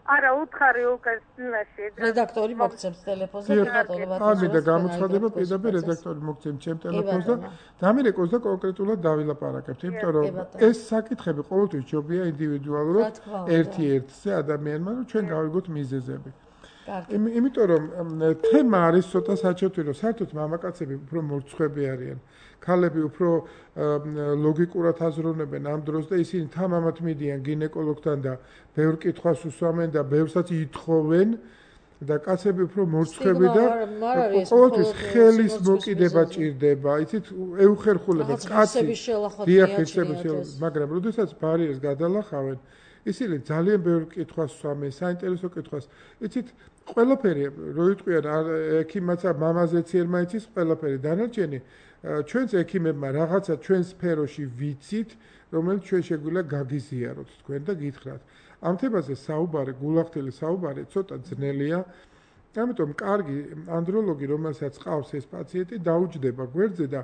არა, უთხარი უკან სინაში. რედაქტორი მოგცემს ტელეფონზე, კი ბატონო, ბატონო. ამიდა გამოცხადება პირდაპირ რედაქტორი მოგცემს ჩემ ტელეფონს და დამირეკოს და კონკრეტულად დავილაპარაკებთ, იმიტომ რომ ეს საკითხები ყოველთვის ჯობია ინდივიდუალურად ერთ-ერთზე ადამიანმა, რომ ჩვენ გავიგოთ მიზეზები. იმიტომ რომ თემა არის ცოტა საჭოთი, რომ საერთოდ მამაკაცები უფრო მორცხვები არიან. ქალები უფრო ლოგიკურად აზროვნებენ ამ დროს და ისინი თამამად მიდიან გინეკოლოგთან და ბევრ კითხვას უსვამენ და ბევრსაც ითხოვენ და კაცები უფრო მორცხვები და ყოველთვის ხელის მოკიდება ჭირდება, იცით, ეუხერხულება კაცი დიახერხების, მაგრამ როდესაც ბარიერს გადალახავენ, ისინი ძალიან ბევრ კითხვას უსვამენ, საინტერესო კითხვას, იცით, ყველაფერი რო იტყვიან ექიმაც მამაზეც ერმა იცის ყველაფერი დანარჩენი ჩვენს ექიმებმა რაღაცა ჩვენ სფეროში ვიცით, რომელიც ჩვენ შეგვიძლია გაგიზიაროთ თქვენ და გითხრათ. ამ თემაზე საუბარი, გულახდელი საუბარი ცოტა ძნელია. ამიტომ კარგი ანდროლოგი, რომელსაც ყავს ეს პაციენტი, დაუჯდება გვერდზე და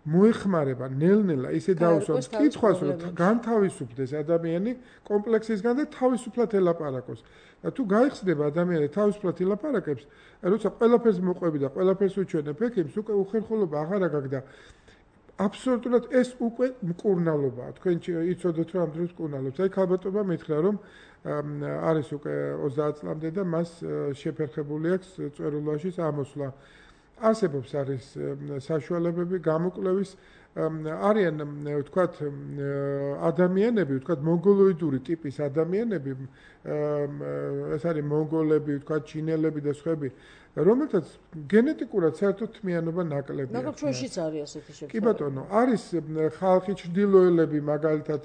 მოეხმარება ნელ-ნელა ისე დაუსვამს კითხვას, რომ განთავისუფდეს ადამიანი კომპლექსისგან და თავისუფლად ელაპარაკოს. და თუ გაიხსნება ადამიანი თავისუფლად ელაპარაკებს, როცა ყველაფერს მოყვები და ყველაფერს უჩვენებ ექიმს, უკვე უხერხულობა აღარ აგაგ და აბსოლუტურად ეს უკვე მკურნალობაა. თქვენ იცოდეთ რომ ამ დროს მკურნალობს. აი ქალბატონმა მითხრა რომ არის უკვე ოცდაათ წლამდე და მას შეფერხებული აქვს წვერულაშიც ამოსვლა. არსებობს არის საშუალებები გამოკვლევის არიან ვთქვათ ადამიანები, ვთქვათ მონგოლოიდური ტიპის ადამიანები, ეს არის მონგოლები, ვთქვათ ჩინელები და სხვები, რომელთაც გენეტიკურად საერთოდ თმიანობა ნაკლებია. მაგრამ ჩვენშიც არის ასეთი შემთხვევა. კი ბატონო, არის ხალხი ჩრდილოელები, მაგალითად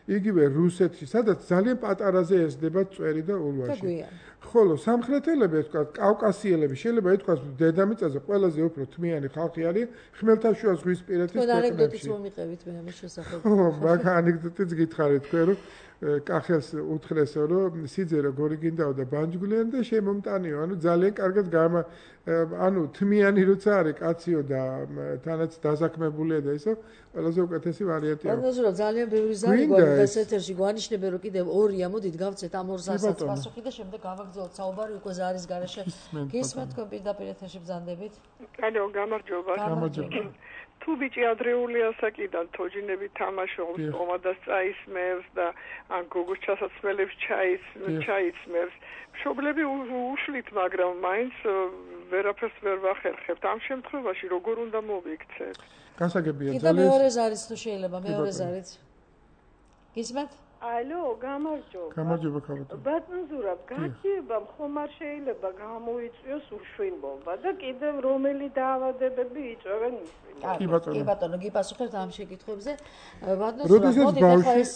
იგივე რუსეთში, სადაც ძალიან პატარაზე ესდება წვერი და ულვაში. ხოლო სამხრეთელები, ვთქვათ, კავკასიელები, შეიძლება ითქვას დედამიწაზე ყველაზე უფრო თმიანი ხალხი არის ხმელთაშუა ზღვისპირეთის ქვეყნებში. თქვენ ანეკდოტიც მომიყევით მე ამის შესახებ. ხო, მაგ ანეკდოტიც გითხარით თქვენ, რომ კახელს უთხრესო, რომ სიძე როგორი გინდაო და ბანჯგვლიანი და შემომტანიო, ანუ ძალიან კარგად გამა ანუ თმიანი როცა არის კაციო და თანაც დასაქმებულია და ისო, ყველაზე უკეთესი ვარიანტია. ანუ ძალიან ბევრი ზარი გვაქვს ეთერში, გვანიშნებენ რომ კიდევ ორია, მოდით გავცეთ ამ ორ ზარსაც პასუხი და შემდეგ გავაგრძელოთ საუბარი უკვე ზარის garaშე. გისმენთ თქვენ პირდაპირ ეთერში ბრძანდებით? ანუ გამარჯობა. გამარჯობა. თუ ბიჭი ადრეული ასაკიდან თოჯინები თამაშობს, ომადას წაისმევს და ან გოგოს ჩასაცმელებს ჩაის ჩაიცმევს, მშობლები უშლით, მაგრამ მაინც ვერაფერს ვერ ვახერხებთ. ამ შემთხვევაში როგორ უნდა მოვიქცეთ? გასაგებია ძალიან. კიდე მეორე ზარიც თუ შეიძლება, მეორე ზარიც. გისმენთ? ალო, გამარჯობა. გამარჯობა ქალბატონო. ბატონ ზურაბ, გაცივებამ ხომ არ შეიძლება გამოიწვიოს უშვილობა და კიდევ რომელი დაავადებები იწვევენ მისვლას. კი ბატონო. კი ბატონო, გიპასუხებთ ამ შეკითხვებზე. ბატონო ზურაბ, მოდით ახლა ეს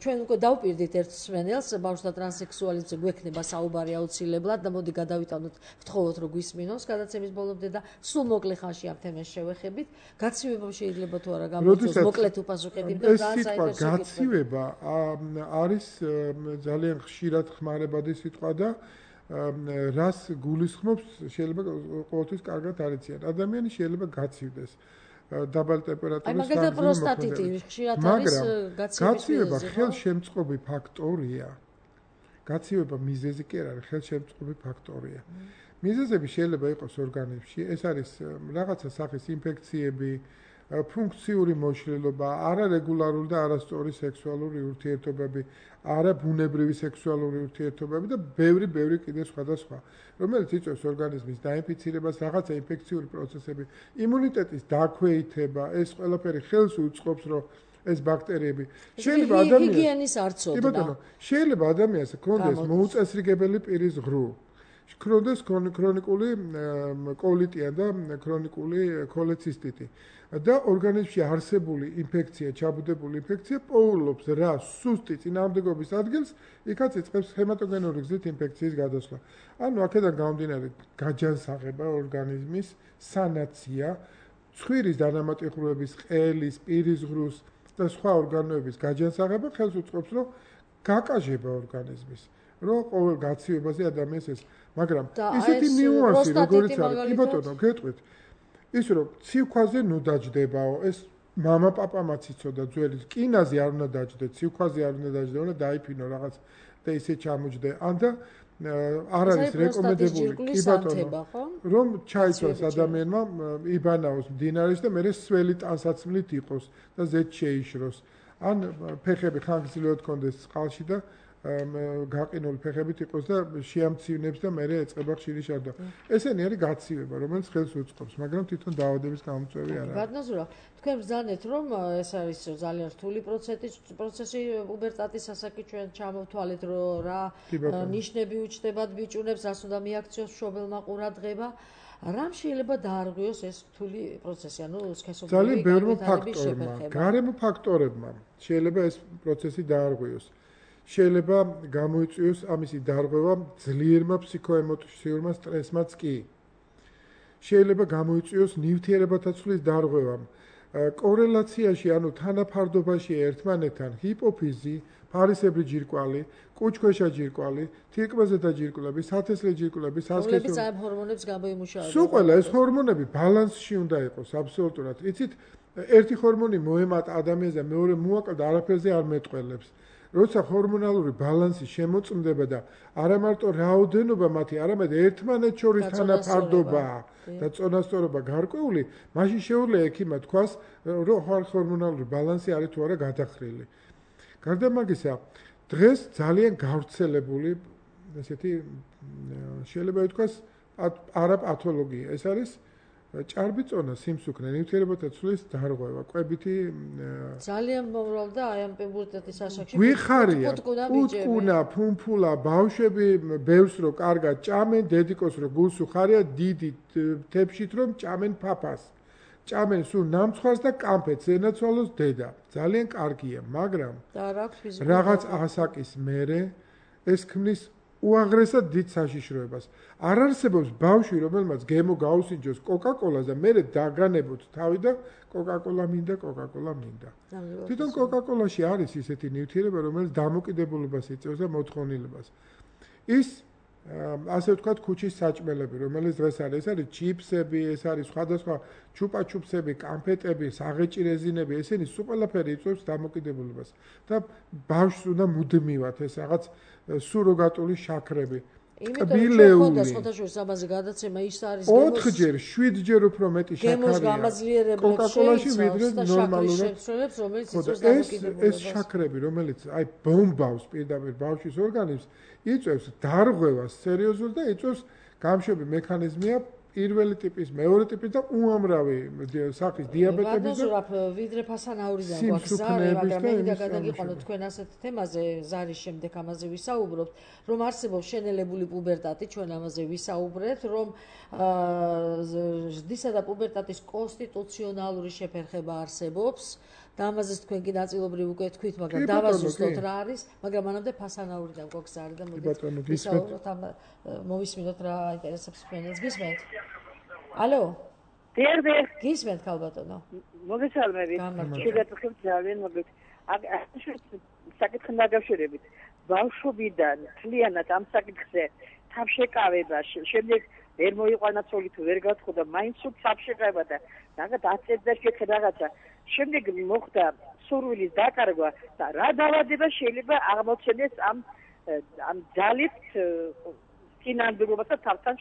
ჩვენ უკვე დავპირდით ერთ მსმენელს, ბავშვთა ტრანსექსუალიზმზე გვექნება საუბარი აუცილებლად და მოდი გადავიტანოთ, ვთხოვოთ რომ გვისმინოს გადაცემის ბოლომდე და სულ მოკლე ხანში ამ თემას შევეხებით. გაცივებამ შეიძლება თუ არა გამოიწვიოს მოკლედ უპასუხები და ძალიან საინტერესო გაცივება არის ძალიან ხშირად ხმარებადი სიტყვა და რას გულისხმობს შეიძლება ყოველთვის კარგად არიციან. ადამიანი შეიძლება გაცივდეს დაბალი ტემპერატურის მაგალითად პროსტატიტი ხშირად არის გაცივება ხელშემწყობი ფაქტორია. გაცივება მიზეზი კი არ არის, ხელშემწყობი ფაქტორია. მიზეზები შეიძლება იყოს ორგანიზმში, ეს არის რაღაცა სახის ინფექციები, ფუნქციური მოშლილობა, არარეგულარული და არასწორი სექსუალური ურთიერთობები, არაბუნებრივი სექსუალური ურთიერთობები და ბევრი ბევრი კიდე სხვადასხვა, რომელიც იწვევს ორგანიზმის დაინფიცირებას, რაღაცა ინფექციური პროცესები, იმუნიტეტის დაქვეითება, ეს ყველაფერი ხელს უწყობს, რომ ეს ბაქტერიები შეიძლება ადამიანს ჰიგიენის არ ცოდნა. კი ბატონო, შეიძლება ადამიანს ჰქონდეს მოუწესრიგებელი პირის ღრუ. ქრონდეს ქრონიკული კოლიტია და ქრონიკული ქოლეცისტიტი და ორგანიზმში არსებული ინფექცია, ჩაბუდებული ინფექცია პოულობს რა სუსტი წინააღმდეგობის ადგილს, იქაც იწყებს ჰემატოგენური გზით ინფექციის გადასვლა. ანუ აქედან გამომდინარე გაჯანსაღება ორგანიზმის, სანაცია, ცხვირის დანამატი-ღრუების, ყელის, პირის ღრუს და სხვა ორგანოების გაჯანსაღება ხელს უწყობს, რომ გაკაჟება ორგანიზმის, რომ ყოველ გაცივებაზე ადამიანს ეს მაგრამ ისეთი ნიუანსი როგორიც არის კი ბატონო გეტყვით ის რომ ციქვაზე ნუ დაждდებაო ეს мама პაპამაც იცოდა ძველი კინაზე არ უნდა დაждდე ციქვაზე არ უნდა დაждდე უნდა დაიფინო რაღაც და ისე ჩამოждდე ან და არ არის რეკომენდებული კი ბატონო რომ ჩაიცვას ადამიანმა იბანაოს მდინარეში და მერე სველი ტანსაცმლით იყოს და ზედ შეიშროს ან ფეხები ხანგრძლივად კონდეს წყალში და გაყინული ფეხებით იყოს და შეამცირნებს და მერე ეწყება ხშირი შარდვა. ესენი არის გაცივება, რომელიც ხელს უწყობს, მაგრამ თვითონ დაავადების გამოწვევი არ არის. ბატონო ზურაბ, თქვენ ბრძანეთ, რომ ეს არის ძალიან რთული პროცესი, პროცესი პუბერტატის ასაკი ჩვენ ჩამოვთვალეთ, რომ რა ნიშნები უჩნდებათ ბიჭუნებს, რას უნდა მიაქციოს მშობელმა ყურადღება. რამ შეიძლება დაარღვიოს ეს რთული პროცესი, ანუ სქესობრივი ძალიან ბევრი ფაქტორმა, გარემო ფაქტორებმა შეიძლება ეს პროცესი დაარღვიოს. შეიძლება გამოიწვიოს ამისი დარღვევა ძლიერმა ფსიქოემოციურმა სტრესმაც კი. შეიძლება გამოიწვიოს ნივთიერებათა ცვლის დარღვევამ. კორელაციაში, ანუ თანაფარდობაში ერთმანეთთან ჰიპოფიზი, ფარისებრი ჯირკვალი, კუჭქვეშა ჯირკვალი, თირკმაზე და ჯირკვლები, სათესლე ჯირკვლები, სასქესო. რომლებიც ამ ჰორმონებს გამოიმუშავებენ. სულ ყველა ეს ჰორმონები ბალანსში უნდა იყოს აბსოლუტურად. იცით, ერთი ჰორმონი მოემატა ადამიანს და მეორე მოაკლდა, არაფერზე არ მეტყველებს. როცა ჰორმონალური ბალანსი შემოწმდება და არა მარტო რაოდენობა მათი, არამედ ერთმანეთს შორის თანაფარდობა და წონასწორობა გარკვეული, მაშინ შეუძლია ექიმმა თქვას, რომ ჰორმონალური ბალანსი არის თუ არა გადახრილი. გარდა მაგისა, დღეს ძალიან გავრცელებული ესეთი შეიძლება ითქვას არაპათოლოგია. ეს არის ჭარბიწონა, სიმსუქნე, ნივთიერებათა ცვლის დარღვევა, კვებითი ძალიან მომრავლდა აი ამ პუბერტატის ასაკში. გვიხარია, უტკუნა, ფუმფულა, ბავშვები ბევრს რო კარგად ჭამენ, დედიკოს რო გულს უხარია, დიდი თებშით რომ ჭამენ ფაფას. ჭამენ სულ ნამცხვარს და კამფეთს, ენაცვალოს დედა. ძალიან კარგია, მაგრამ რაღაც ასაკის მერე ეს ქმნის უაღრესად დიდ საშიშროებას. არ არსებობს ბავშვი, რომელმაც გემო გაუსინჯოს კოკაკოლას და მერე დაგანებოთ თავი და კოკაკოლა მინდა, კოკაკოლა მინდა. თვითონ კოკაკოლაში არის ისეთი ნივთიერება, რომელიც დამოკიდებულებას იწვევს და მოთხოვნილებას. ის ასე ვთქვათ, ქუჩის საჭმელები, რომელიც დღეს არის, ეს არის ჩიპსები, ეს არის სხვადასხვა ჩუპაჩუპსები, კამფეტები, საღეჭი რეზინები, ესენი სულ ყველაფერი იწვევს დამოკიდებულებას. და ბავშვს უნდა მუდმივად ეს რაღაც სუროგატული შაქრები. კბილეული. სხვადასხვა ამაზე გადაცემა ის არის გემოს ოთხჯერ, შვიდჯერ უფრო მეტი შაქარია. გემოს გამაძლიერებლებს კოკაკოლაში ვიდრე ნორმალურად. რომელიც იწვევს დამოკიდებულებას. ეს შაქრები, რომელიც აი ბომბავს პირდაპირ ბავშვის ორგანიზმს, იწვევს დარღვევას სერიოზულ და იწვევს გამშვები მექანიზმია პირველი ტიპის, მეორე ტიპის და უამრავი სახის დიაბეტების და ვიდრე ფასანაურიდან გვაქვს ზარი, მაგრამ მე მინდა გადაგიყვანოთ თქვენ ასეთ თემაზე, ზარის შემდეგ ამაზე ვისაუბრობთ, რომ არსებობს შენელებული პუბერტატი, ჩვენ ამაზე ვისაუბრებთ, რომ ზრდისა და პუბერტატის კონსტიტუციონალური შეფერხება არსებობს. და ამაზეც თქვენ კი ნაწილობრივ უკვე თქვით, მაგრამ დავაზუსტოთ რა არის, მაგრამ მანამდე ფასანაურიდან გვაქვს ზარი და მოდით ვისაუბროთ ამ მოვისმინოთ რა აინტერესებს თქვენს. გისმენთ? ალო? დიახ, დიახ. გისმენთ ქალბატონო? მოგესალმებით. შეგატყობთ ძალიან მოგეთ. აქ საკითხთან დაკავშირებით. ბავშვობიდან მთლიანად ამ საკითხზე თავშეკავება, შემდეგ ვერ მოიყვანა ცოლი თუ ვერ გაცხოდა, მაინც სულ თავშეკავება და რაღაც აწევდა შეხე რაღაცა. შემდეგ მოხდა სურვილის დაკარგვა და რა დაავადება შეიძლება აღმოჩენდეს ამ ამ ძალით წინანდრობას და თავთან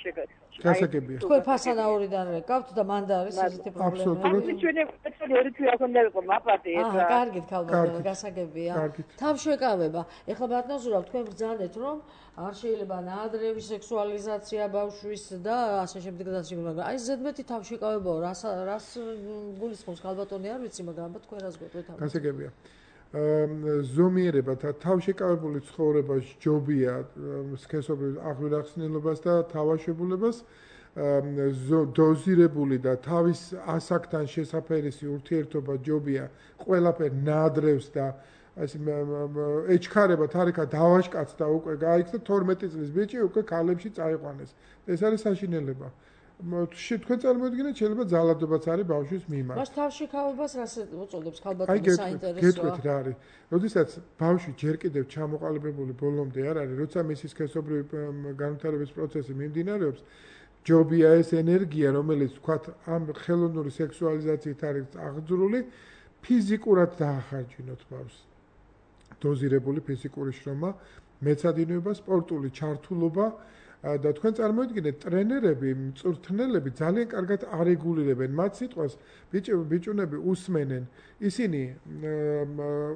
გასაგებია. თქვენ ფასანაურიდან რეკავთ და მან და არის ესეთი პრობლემა. აი ჩვენი ეცოლი ორი თვე ახონდა იყო მაპატი ეს. აა, კარგით ქალბატონო, გასაგებია. თავშეკავება. ეხლა ბატონო ზურაბ, თქვენ ბრძანეთ, რომ არ შეიძლება ნაადრევი სექსუალიზაცია ბავშვის და ასე შემდეგ და ასე შემდეგ, მაგრამ აი ზედმეტი თავშეკავებაო, რას რას გულისხმობს ქალბატონი არ ვიცი, მაგრამ ალბათ თქვენ რას გვეტყვით ამ. გასაგებია. ზომიერება და თავშეკავებული ცხოვრება ჯობია სქესობრივ აღვირახსნილობას და თავაშებულებას დოზირებული და თავის ასაკთან შესაფერისი ურთიერთობა ჯობია ყველაფერ ნაადრევს და ასე ეჩქარება თარიქა დავაშკაცდა უკვე გაიქცა თორმეტი წლის ბიჭი უკვე ქალებში წაიყვანეს. ეს არის საშინელება. თქვენ წარმოიდგინეთ შეიძლება ძალადობაც არის ბავშვის მიმართ. მას თავშეკავებას რას უწოდებს ქალბატონი საინტერესოა. გეტყვით რა არის. როდესაც ბავშვი ჯერ კიდევ ჩამოყალიბებული ბოლომდე არ არის, როცა მისი სქესობრივი განვითარების პროცესი მიმდინარეობს, ჯობია ეს ენერგია, რომელიც თქვათ ამ ხელოვნური სექსუალიზაციით არის აღძრული, ფიზიკურად დაახარჯინოთ ბავშვს. დოზირებული ფიზიკური შრომა, მეცადინეობა, სპორტული ჩართულობა და თქვენ წარმოიდგინეთ ტრენერები, მწვრთნელები ძალიან კარგად არეგულირებენ მათ სიტყვას, ბიჭუნები უსმენენ, ისინი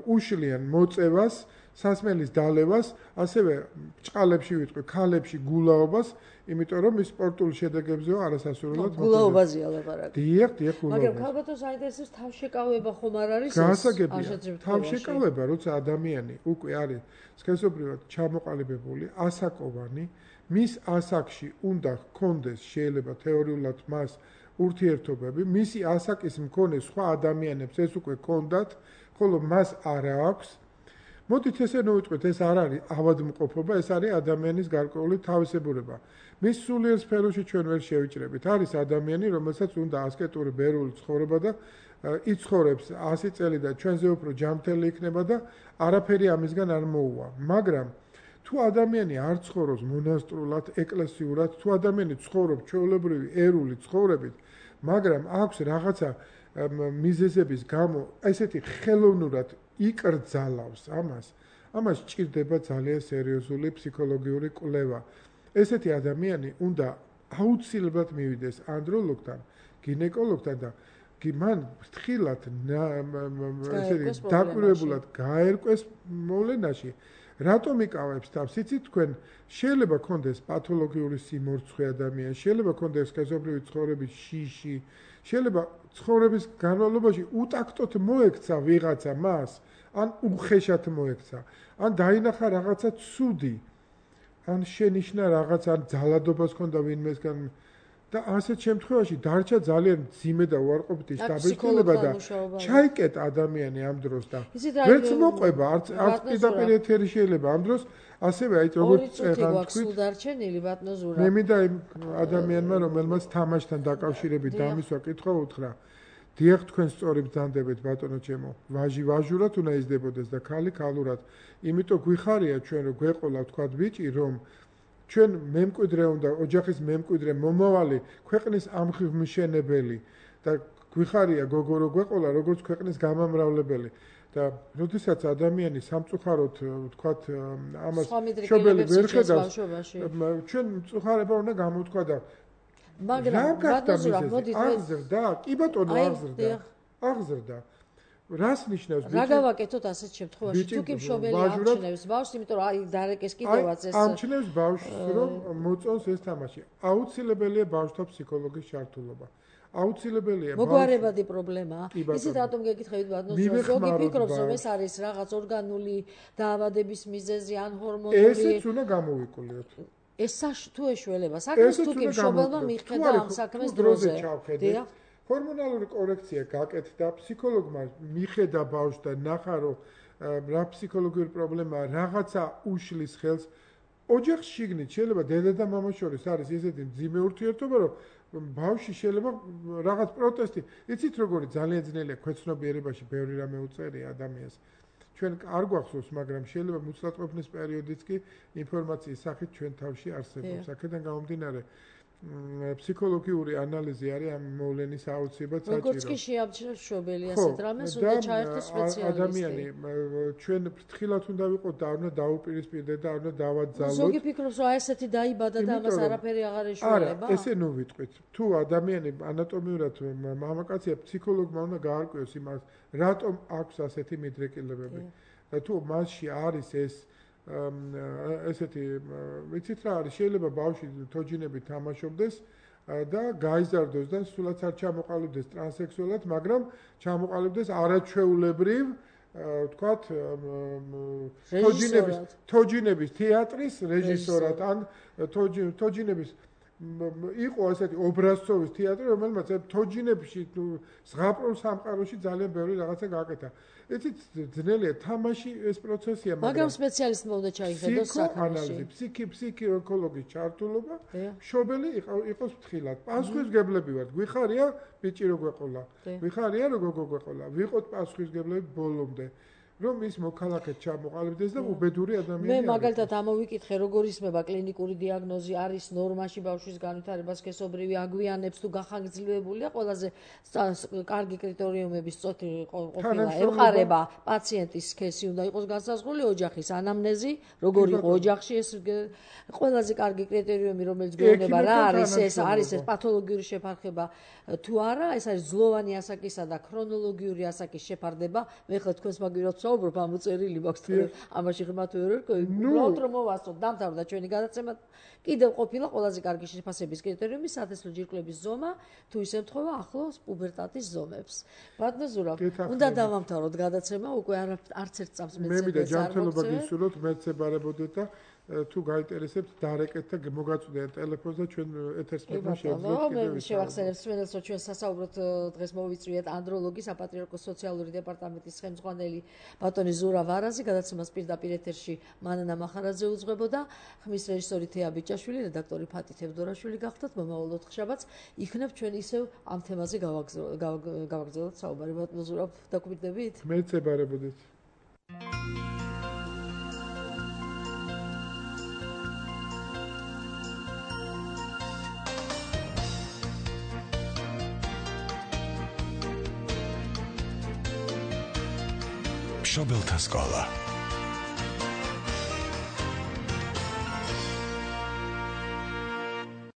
უშლიან მოწევას, სასმელის დალევას, ასევე ჭყალებში ვიტყვი, ქალებში გულაობას, იმიტომ რომ ის სპორტულ შედეგებზეო არასასურველად გულაობაზეა ლაპარაკი. დიახ, დიახ, გულაობა. მაგრამ ქალბატონს საინტერესებს თავშეკავება ხომ არ არის ეს? გასაგებია. თავშეკავება, როცა ადამიანი უკვე არის სქესობრივად ჩამოყალიბებული, ასაკოვანი, მის ასაკში უნდა ჰქონდეს შეიძლება თეორიულად მას ურთიერთობები, მისი ასაკის მქონე სხვა ადამიანებს ეს უკვე ჰქონდათ, ხოლო მას არა აქვს. მოდით ესე ნოვიტყვით, ეს არ არის ავადმყოფობა, ეს არის ადამიანის გარკვეული თავისებურება. მის სულიერ სფეროში ჩვენ ვერ შევიჭრებით. არის ადამიანი, რომელსაც უნდა ასკეტური ბერული ცხოვრება და იცხოვრებს ასი წელი და ჩვენზე უფრო ჯანმრთელი იქნება და არაფერი ამისგან არ მოუვა. მაგრამ თუ ადამიანი არ ცხოვრობს მონასტრულად, ეკლესიურად, თუ ადამიანი ცხოვრობს ჩვეულებრივი ერული ცხოვრებით, მაგრამ აქვს რაღაცა მიზეზების გამო ესეთი ხელოვნურად იკრძალავს ამას, ამას ჭირდება ძალიან სერიოზული ფსიქოლოგიური კვლევა. ესეთი ადამიანი უნდა აუცილებლად მივიდეს ანდროლოგთან, გინეკოლოგთან და კი მან ფრთხილად ესეთი დაკვირვებულად გაერკვეს მოვლენაში. რატომ იკავებს თავს? იცით თქვენ შეიძლება კონდეს პათოლოგიური სიმორცხვე ადამიანს, შეიძლება კონდეს სქესობრივი ცხოვრების შიში, შეიძლება ცხოვრების განმავლობაში უტაქტოდ მოექცა ვიღაცა მას, ან უხეშად მოექცა, ან დაინახა რაღაცა ცუდი, ან შენიშნა რაღაც, ან ძალადობას ჰქონდა ვინმესგან და ასეთ შემთხვევაში დარჩა ძალიან მძიმე და უარყოფითი შთაბეჭდილება და ჩაიკეტა ადამიანი ამ დროს და ვერც მოყვება, არც არც პირდაპირ ეთერი შეიძლება ამ დროს, ასევე აი როგორც ეხლა თქვით, დარჩენილი ბატონო ზურაბ. მე მინდა იმ ადამიანმა, რომელმაც თამაშთან დაკავშირებით დამისვა კითხვა უთხრა. დიახ, თქვენ სწორი ბრძანდებით ბატონო ჩემო. ვაჟი ვაჟურად უნდა იზრდებოდეს და ქალი ქალურად. იმიტომ გვიხარია ჩვენ რომ გვეყოლა თქვა ბიჭი რომ ჩვენ მემკვიდრე უნდა ოჯახის მემკვიდრე მომავალი ქვეყნის ამხმშენებელი და გვიხარია გოგო რო გვეყოლა როგორც ქვეყნის გამამრავლებელი და როდესაც ადამიანი სამწუხაროდ ვთქვათ ამას შობელი ვერ ხედავს ჩვენ მწუხარება უნდა გამოთქვა და მაგრამ ბატონო მოდით აღზრდა კი ბატონო აღზრდა აღზრდა რას ნიშნავს ბიჭი? რა გავაკეთოთ ასეთ შემთხვევაში? თუ კი მშობელი ამჩნევს ბავშვს, იმიტომ რომ აი დარეკეს კიდევაც ეს ამჩნევს ბავშვს, რომ მოწონს ეს თამაში. აუცილებელია ბავშვთა ფსიქოლოგის ჩართულობა. აუცილებელია მოგვარებადი პრობლემაა. ისიც რატომ გეკითხებით ბატონო, ზოგი ფიქრობს, რომ ეს არის რაღაც ორგანული დაავადების მიზეზი ან ჰორმონული. ესეც უნდა გამოვიყოლიოთ. ეს თუ ეშველება, საქმეს თუ კი მშობელმა მიხედა ამ საქმეს დროზე. დიახ. ჰორმონალური კორექცია გაკეთდა, ფსიქოლოგმა მიხედა ბავშვს და ნახა, რომ რა ფსიქოლოგიური პრობლემაა, რაღაცა უშლის ხელს. ოჯახში შიგნით შეიძლება დედა და მამა შორის არის ესეთი მძიმე ურთიერთობა, რომ ბავშვი შეიძლება რაღაც პროტესტი, იცით როგორი ძალიან ძნელია ქვეცნობიერებაში ბევრი რამე უწერია ადამიანს. ჩვენ არ გვახსოვს, მაგრამ შეიძლება მუცლადყოფნის პერიოდიც კი ინფორმაციის სახით ჩვენ თავში არსებობს. აქედან გამომდინარე ფსიქოლოგიური ანალიზი არის ამ მოვლენის აუცილებლად საჭირო. როგორც კი შეამჩნევს მშობელი ასეთ რამეს, უნდა ჩაერთოს სპეციალისტი. ადამიანი ჩვენ ფრთხილად უნდა ვიყოთ და არ უნდა დაუპირისპირდეთ და არ უნდა დავაძალოთ. ზოგი ფიქრობს, რომ აი ესეთი დაიბადა და ამას არაფერი აღარ ეშველება. არა, ესე ნუ ვიტყვით. თუ ადამიანი ანატომიურად მამაკაცია, ფსიქოლოგმა უნდა გაარკვიოს იმას, რატომ აქვს ასეთი მიდრეკილებები. და თუ მასში არის ეს ესეთი ვიცით რა არის შეიძლება ბავშვი თოჯინებით თამაშობდეს და გაიზარდოს და სულაც არ ჩამოყალიბდეს ტრანსექსუალად, მაგრამ ჩამოყალიბდეს არაჩვეულებრივ ვთქვათ თოჯინების თოჯინების თეატრის რეჟისორად ან თოჯინების იყო ესეთი ობრაზცოვის თეატრი, რომელმაც თოჯინებში ზღაპრულ სამყაროში ძალიან ბევრი რაღაცა გააკეთა. იცით ძნელია თამაში ეს პროცესია, მაგრამ სპეციალისტმა უნდა ჩაიხედოს საქმეში. ფსიქი ფსიქოლოგის ჩართულობა, მშობელი იყოს ფრთხილად. პასუხისგებლები ვართ. გვიხარია ბიჭი რო გვეყოლა. გვიხარია რო გოგო გვეყოლა. ვიყოთ პასუხისგებლები ბოლომდე. რომ ის მოქალაქედ ჩამოყალიბდეს და უბედური ადამიანი არის. მე მაგალითად ამოვიკითხე, როგორ ისმება კლინიკური დიაგნოზი, არის ნორმაში ბავშვის განვითარება სქესობრივი აგვიანებს თუ გახანგრძლივებულია, ყველაზე კარგი კრიტერიუმების წოთი ყოფილა ემყარება პაციენტის სქესი უნდა იყოს განსაზღვრული, ოჯახის ანამნეზი, როგორ იყო ოჯახში ეს ყველაზე კარგი კრიტერიუმი, რომელიც გვეუბნება რა არის ეს, არის ეს პათოლოგიური შეფარხება თუ არა, ეს არის ძლოვანი ასაკისა და ქრონოლოგიური ასაკის შეფარდება. მე ხლა თქვენს მაგივრად საუბრობ, ამ უწერილი მაქვს თქვენ ამაში ღმათ ვერ ვერკო. უბრალოდ რომ მოვასწროთ, დამთავრდა ჩვენი გადაცემა. კიდევ ყოფილა ყველაზე კარგი შეფასების კრიტერიუმი სათესლო ჯირკვლების ზომა, თუ ის ემთხვევა ახლოს პუბერტატის ზომებს. ბატონო ზურაბ, უნდა დავამთავროთ გადაცემა, უკვე არც ერთ წამს მეცე. მე მინდა ჯანმრთელობა გისურვოთ, მეცებარებოდეთ და თუ გაინტერესებთ, დარეკეთ და მოგაწვდეთ ტელეფონს და ჩვენ ეთერს მოგშევდეთ. მე შევახსენებ სვენელს, რომ ჩვენ სასაუბროთ დღეს მოვიწვიეთ ანდროლოგის საპატრიარქოს სოციალური დეპარტამენტის ხელმძღვანელი ბატონი ზურა ვარაზი, გადაცემას პირდაპირ ეთერში მანანა მახარაძე უძღვებოდა, ხმის რეჟისორი თეა ბიჭაშვილი, რედაქტორი ფათი თევდორაშვილი გახდათ. მომავალ ოთხშაბათს იქნებ ჩვენ ისევ ამ თემაზე გავაგზავნოთ საუბარი. ბატონო ზურა, დაგვიდგებით? მეცებარებოდეთ. მშობელთა სკოლა